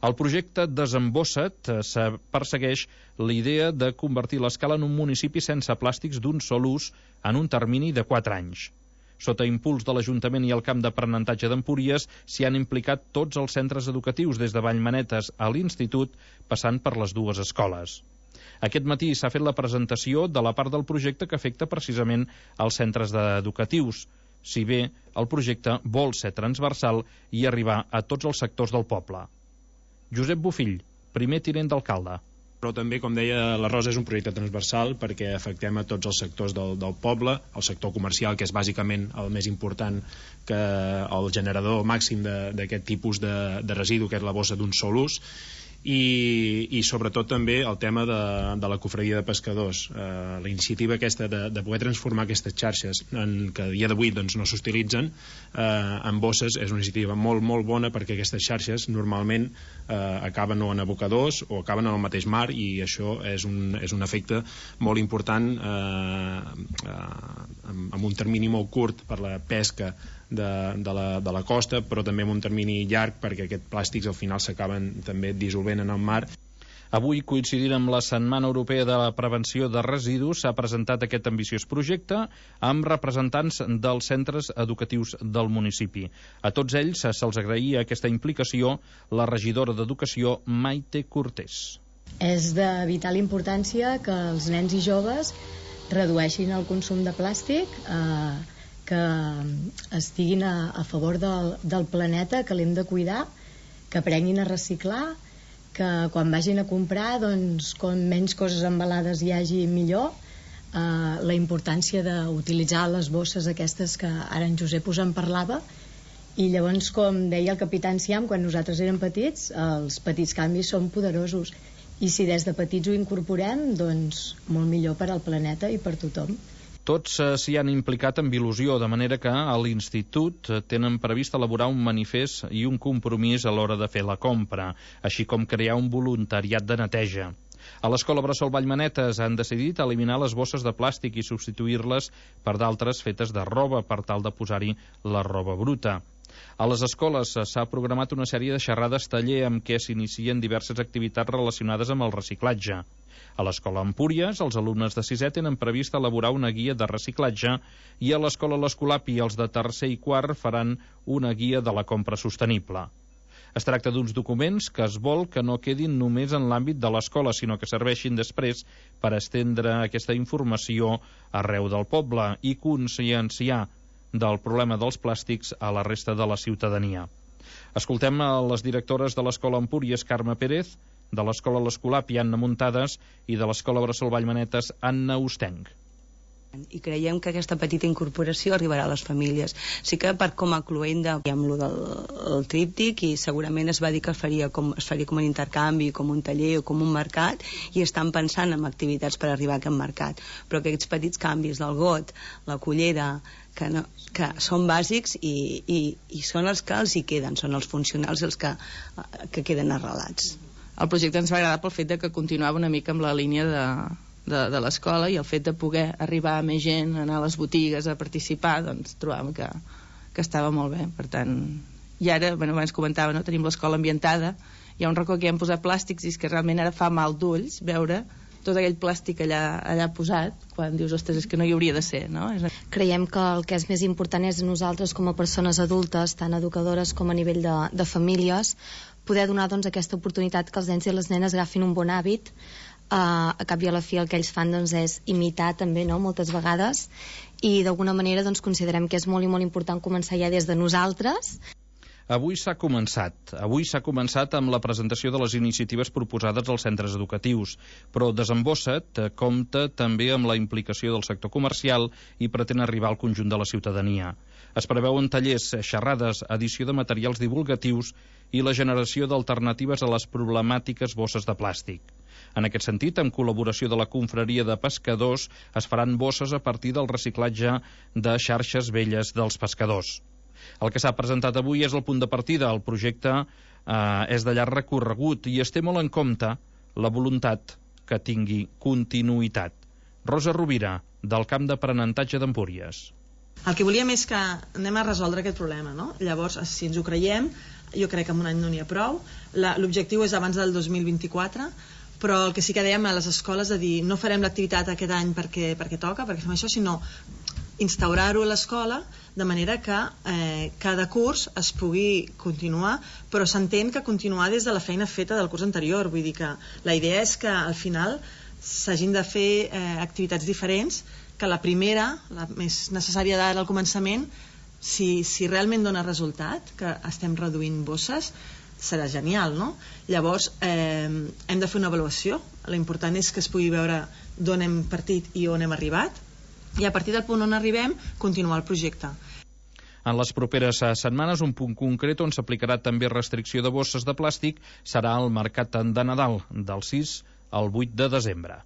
El projecte Desembossa't persegueix la idea de convertir l'Escala en un municipi sense plàstics d'un sol ús en un termini de 4 anys. Sota impuls de l'Ajuntament i el Camp d'Aprenentatge d'Empúries s'hi han implicat tots els centres educatius, des de Vallmanetes a l'Institut, passant per les dues escoles. Aquest matí s'ha fet la presentació de la part del projecte que afecta precisament als centres educatius, si bé el projecte vol ser transversal i arribar a tots els sectors del poble. Josep Bofill, primer tinent d'alcalde. Però també, com deia la Rosa, és un projecte transversal perquè afectem a tots els sectors del poble, el sector comercial, que és bàsicament el més important, que el generador màxim d'aquest tipus de residu, que és la bossa d'un sol ús, i sobretot també el tema de la cofredia de pescadors. La iniciativa aquesta de poder transformar aquestes xarxes que a dia d'avui doncs, no s'utilitzen en bosses és una iniciativa molt, molt bona, perquè aquestes xarxes normalment acaben o en abocadors o acaben en el mateix mar, i això és un efecte molt important amb un termini molt curt per la pesca de la costa, però també amb un termini llarg perquè aquests plàstics al final s'acaben també dissolvent en el mar. Avui, coincidint amb la Setmana Europea de la Prevenció de Residus, s'ha presentat aquest ambiciós projecte amb representants dels centres educatius del municipi. A tots ells se'ls agraïa aquesta implicació la regidora d'Educació, Maite Cortés. És de vital importància que els nens i joves redueixin el consum de plàstic, que estiguin a favor del planeta, que l'hem de cuidar, que aprenguin a reciclar, que quan vagin a comprar, doncs, com menys coses embalades hi hagi, millor. La importància d'utilitzar les bosses aquestes que ara en Josep us en parlava. I llavors, com deia el capità Enciam, quan nosaltres érem petits, els petits canvis són poderosos. I si des de petits ho incorporem, doncs molt millor per al planeta i per tothom. Tots s'hi han implicat amb il·lusió, de manera que a l'Institut tenen previst elaborar un manifest i un compromís a l'hora de fer la compra, així com crear un voluntariat de neteja. A l'Escola Bressol Vallmanetes han decidit eliminar les bosses de plàstic i substituir-les per d'altres fetes de roba, per tal de posar-hi la roba bruta. A les escoles s'ha programat una sèrie de xerrades taller amb què s'inicien diverses activitats relacionades amb el reciclatge. A l'Escola Empúries, els alumnes de 6è tenen previst elaborar una guia de reciclatge, i a l'Escola l'Escolapi els de 3è i 4è faran una guia de la compra sostenible. Es tracta d'uns documents que es vol que no quedin només en l'àmbit de l'escola, sinó que serveixin després per estendre aquesta informació arreu del poble i conscienciar del problema dels plàstics a la resta de la ciutadania. Escoltem a les directores de l'Escola Empúries, Carme Pérez, de l'Escola l'Escolapi, Anna Muntades, i de l'Escola Bressol Vallmanetes, Anna Ostenc. I creiem que aquesta petita incorporació arribarà a les famílies. Sí que com a cloenda hi ha amb el tríptic, i segurament es va dir que es faria com un intercanvi, com un taller o com un mercat, i estan pensant en activitats per arribar a aquest mercat. Però aquests petits canvis del got, la cullera, que són bàsics i són els que els hi queden, són els funcionals els que queden arrelats. El projecte ens va agradar pel fet que continuava una mica amb la línia de l'escola, i el fet de poder arribar a més gent, anar a les botigues a participar, doncs trobàvem que estava molt bé. Per tant, i ara, abans comentava, tenim l'escola ambientada, hi ha un racó que hi hem posat plàstics, i és que realment ara fa mal d'ulls veure tot aquell plàstic allà posat, quan dius, ostres, és que no hi hauria de ser, no? Creiem que el que és més important és nosaltres, com a persones adultes, tant educadores com a nivell de famílies, poder donar aquesta oportunitat que els nens i les nenes agafin un bon hàbit. A cap i a la fi el que ells fan és imitar també, moltes vegades, i d'alguna manera considerem que és molt i molt important començar ja des de nosaltres. Avui s'ha començat amb la presentació de les iniciatives proposades als centres educatius, però Desembossa't compta també amb la implicació del sector comercial i pretén arribar al conjunt de la ciutadania. Es preveuen tallers, xerrades, edició de materials divulgatius i la generació d'alternatives a les problemàtiques bosses de plàstic. En aquest sentit, en col·laboració de la Confraria de Pescadors, es faran bosses a partir del reciclatge de xarxes velles dels pescadors. El que s'ha presentat avui és el punt de partida. El projecte és de llarg recorregut i es té molt en compte la voluntat que tingui continuïtat. Rosa Rovira, del Camp d'Aprenentatge d'Empúries. El que volíem és que anem a resoldre aquest problema, no? Llavors, si ens ho creiem, jo crec que en un any no n'hi ha prou. L'objectiu és abans del 2024, però el que sí que dèiem a les escoles de dir no farem l'activitat aquest any perquè toca, perquè fem això, sinó instaurar-ho a l'escola de manera que cada curs es pugui continuar, però s'entén que continuar des de la feina feta del curs anterior. Vull dir que la idea és que al final s'hagin de fer activitats diferents, que la primera, la més necessària d'ara al començament, si realment dona resultat, que estem reduint bosses, serà genial, no? Llavors hem de fer una avaluació. L'important és que es pugui veure d'on hem partit i on hem arribat, i a partir del punt on arribem continuar el projecte. En les properes setmanes, un punt concret on s'aplicarà també restricció de bosses de plàstic serà el mercat de Nadal, del 6 al 8 de desembre.